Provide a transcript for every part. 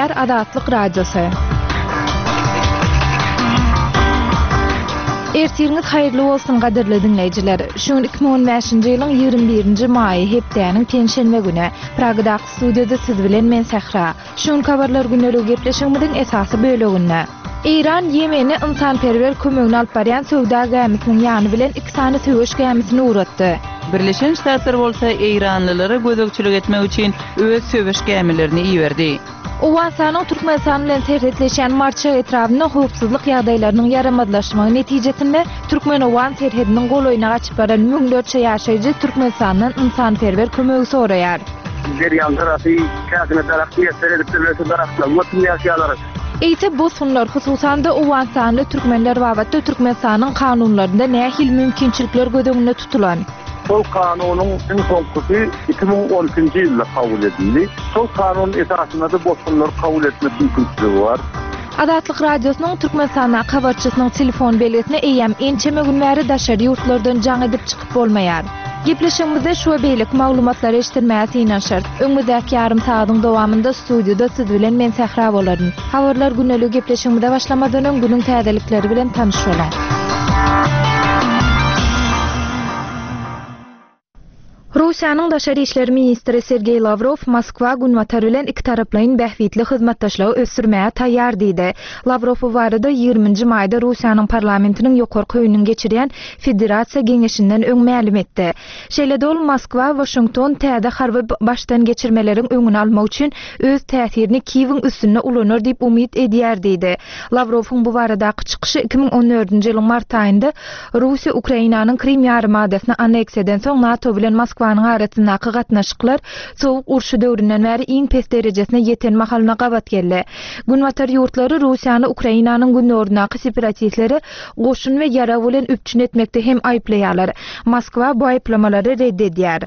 Gepleýär Azatlyk Radiosy. Ertiriňiz haýyrly bolsun gadyrly diňleýjiler. Şu gün 2015-nji ýylyň 21-nji maýy hepdäniň penşenbe güni. Pragadaky studiýada siz bilen men Sähra. Şu günki habarlar gündeligi gepleşigimiziň esasy böleginde. Eýran Ýemene ynsanperwer kömegini alyp barýan söwda gämisiniň ýany bilen iki sany söweş gämisini ugratdy. Birleşen Ştatlar bolsa eýranlylara gözegçilik etmek üçin öz söweş gämilerini iberdi. Owganystanyň Türkmenistan bilen serhetleşýän Marçak etrabynda howpsuzlyk ýagdaýlarynyň ýaramazlaşmagy netijesinde türkmen-owgan serhediniň golaýyna gaçyp baran müňlerçe ýaşaýjy Türkmenistandan ynsanperwer kömegi soraýar. Derýaň gyrasy käsine daragt miýesser edipdirler, şu daragtlaryň götünde ýaşaýarlar. Eýse bosgunlar, hususan-da owganystanly türkmenler babatda Türkmenistanyň kanunlarynda nähili mümkinçilikler göz öňünde tutulan? Şol kanunyň iň soňkusy 2012-nji ýylda kabul edildi. Şol kanun esasynda-da bosgunlary kabul etmek mümkinçiligi bar. Azatlyk Radiosynyň Türkmenistandaky habarçysynyň telefon belgisine eýýäm ençeme gün bäri daşary ýurtlardan jaň edip çykyp bolmaýar. Gepleşigimizde şu we beýleki maglumatlary eşitdirmäge synanyşarys. Öňümizdäki ýarym sagadyň dowamynda studiýada siz bilen men Sähra bolaryn. Habarlar gündeligi gepleşigimize başlamazdan öň günüň täzelikleri bilen tanyş boluň. Russiýanyň daşary işler ministri Sergeý Lawrow Moskwa Günbatar bilen ikitaraplaýyn bähbitli hyzmatdaşlygy ösdürmäge taýýar diýdi. Lawrow bu barada ýigriminji maýda Russiýanyň parlamentiniň ýokarky öýüniň geçirýän Federasiýa Geňeşinden öň mälim etdi. Şeýle-de ol Moskwa Waşington täze harby başdan geçirmeleriň öňüni almak üçin öz täsirini Kiýewiň üstünde ulanar diýip umyt edýär diýdi. Lawrowyň bu baradaky çykyşy 2014-nji ýylyň mart aýynda Russiýa Ukrainanyň Krym ýarymadasyny anneksiýa edensoň NATO bilen Moskwanyň arasyndaky gatnaşyklar Sowuk urşy döwründen bäri iň pes derejesine ýeten mahalyna gabat geldi. Günbatar ýurtlary Russiýany Ukrainanyň gündogaryndaky separatistleri goşun we ýarag bilen üpjün etmekde hem aýyplaýarlar. Moskwa bu aýyplamalary red edýär.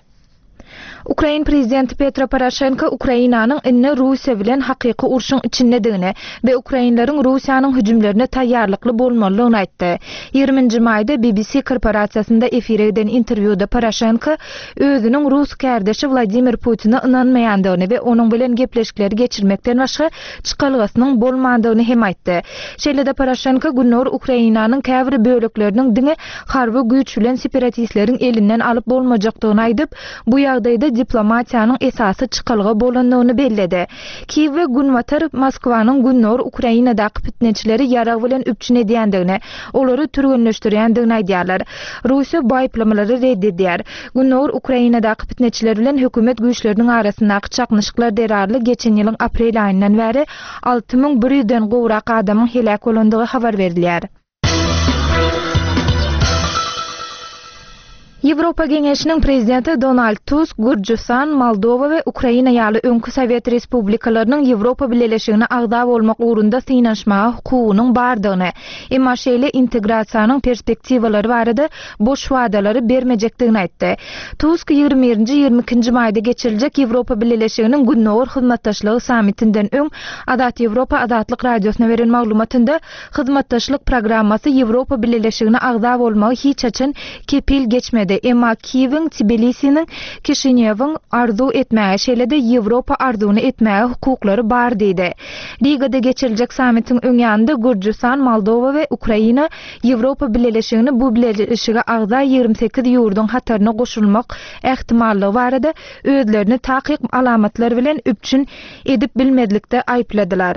Ukrain prezidenti Petro Poroşenko Ukrainanyň indi Russiýa bilen hakyky urşuň içindedigini we ukrainleriň Russiýanyň hüjümlerine taýýarlykly bolmalydygyny aýtdy. Ýigriminji maýda BBC korporasiýasynda efire giden interwýuda Poroşenko özüniň rus kärdeşi Wladimir Putine ynanmaýandygyny we onuň bilen gepleşikleri geçirmekden başga çykalgasynyň bolmandygyny hem aýtdy. Şeýle-de Poroşenko Gündogar Ukrainanyň käbir bölekleriniň diňe harby güýç bilen separatistleriň elinden alyp bolmajakdygyny aýdyp, bu ýagdaýda diplomatiýanyň esasy çykalga bolandygyny belledi. Kiýew we Günbatar Moskwanyň Gündogar Ukrainadaky pitneçileri ýarag bilen üpjün edýändigini, olary türgenleşdirýändigini aýdýarlar. Russiýa bu aýyplamalary red edýär. Gündogar Ukrainadaky pitneçiler bilen hökümet güýçleriniň arasyndaky çaknyşyklar zerarly geçen ýylyň aprel aýyndan bäri 6100 den gowrak adamyň heläk bolandygy habar berilýär. Ýewropa Geňeşiniň Prezidenti Donald Tusk Gürjüstan, Moldowa we Ukraina ýaly öňki sowet respublikalarynyň Ýewropa Bileleşigine agza bolmak ugrunda synanyşmaga hukugynyň bardygyny, emma şeýle integrasiýanyň perspektiwalary barada boş wadalary bermejekdigini aýtdy. Tusk ýigrimi birinji, ýigrimi ikinji maýda geçiriljek Ýewropa Bileleşiginiň Gündogar hyzmatdaşlygy sammitinden öň Azat Ýewropa Azatlyk Radiosyna beren maglumatynda Hyzmatdaşlyk programmasy Ýewropa Bileleşigine agza bolmagy hiç haçan kepil geçmedi, emma Kiýewiň, Tbilisiniň, Kişinýowyň arzuw etmäge, şeýle-de Ýewropa arzuwyny etmäge hukuklary bar diýdi. Rigada geçiriljek sammitiň öň ýanynda Gürjüstan, Moldowa we Ukraina Ýewropa Bileleşigini bu bileleşige agza 28 ýurduň hataryna goşulmak ähtimallygy barada özlerini takyk alamatlar bilen üpjün edip bilmezlikde aýypladylar.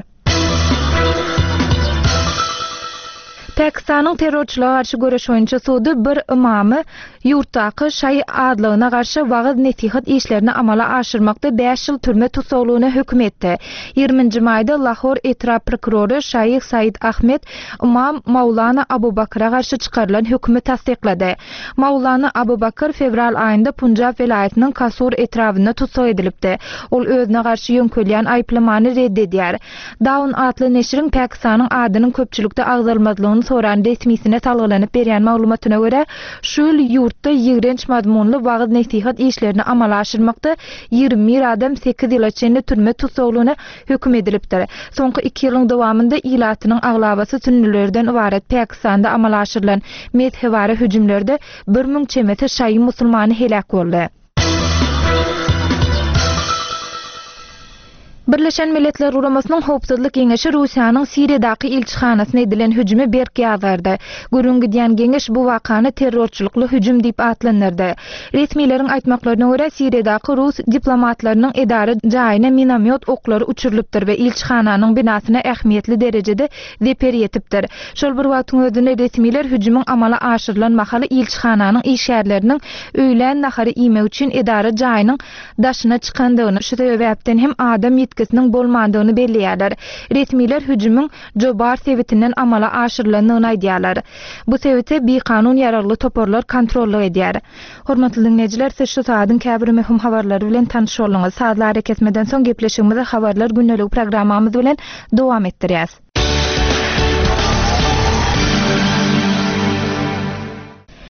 Pakistanyň terrorçylyga garşy göreş boýunça sudy bir ymamy ýurtdaky şaýy azlygyna garşy wagyz-nesihat işlerini amala aşyrmakda bäş ýyl türme tussaglygyna höküm etdi. Ýigriminji maýda Lahor etrap prokurory Şaýh Said Ahmed ymam Maulana Abu Bakra garşy çykarylan hökümi tassyklady. Maulana Abu Bakr fewral aýynda Punjab welaýatynyň Kasur etrabynda tussag edilipdi. Ol özüne garşy ýöňkelýän aýyplamany red edýär. Dawn atly neşiriň Pakistanyň adynyň köpçülikde agzalmazlygyny soran resmisine salgylanyp berýän maglumatyna görä, şu ýyl ýurtda ýigrenç mazmunly wagyz-nesihat işlerini amala aşyrmakda 21 adam sekiz ýyla çenli türme tussaglygyna höküm edilipdir. Soňky iki ýylyň dowamynda ilatynyň aglabasy sünnülerden ybarat Pakistanda amala aşyrylan mezhebara hüjümlerde 1000 çemesi şaýy musulmany heläk boldy. Birleşen Milletler Guramasynyň Howpsuzlyk Geňeşi Russiýanyň Siriýadaky ilçihanasyna edilen hüjümi berk ýazgardy. Gürrüň gidýän geňeş bu wakany terrorçylykly hüjüm diýip atlandyrdy. Resmileriň aýtmaklaryna görä, Siriýadaky rus diplomatlarynyň edara jaýyna minomýot oklary uçurylypdyr we ilçihananyň binasyna ähmiýetli derejede zeper ýetipdir. Şol bir wagtyň özünde resmiler hüjümiň amala aşyrylan mahaly ilçihananyň işgärleriniň öýlän nahary iýmek üçin edara jaýynyň daşyna çykandygyny, şu sebäpden hem adam ýitgisiniň bolmandygyny belleýärler. Resmiler hüjümiň Jobar sebitinden amala aşyrylandygyny aýdýarlar. Bu sebite bikanun ýaragly toparlar kontrollyk edýär. Hormatly diňleýjiler, siz şu sagadyň käbir möhüm habarlary bilen tanyş bolduňyz. Sazly arakesmeden soň gepleşigimizi Habarlar gündeligi programmamyz bilen dowam etdirýäs.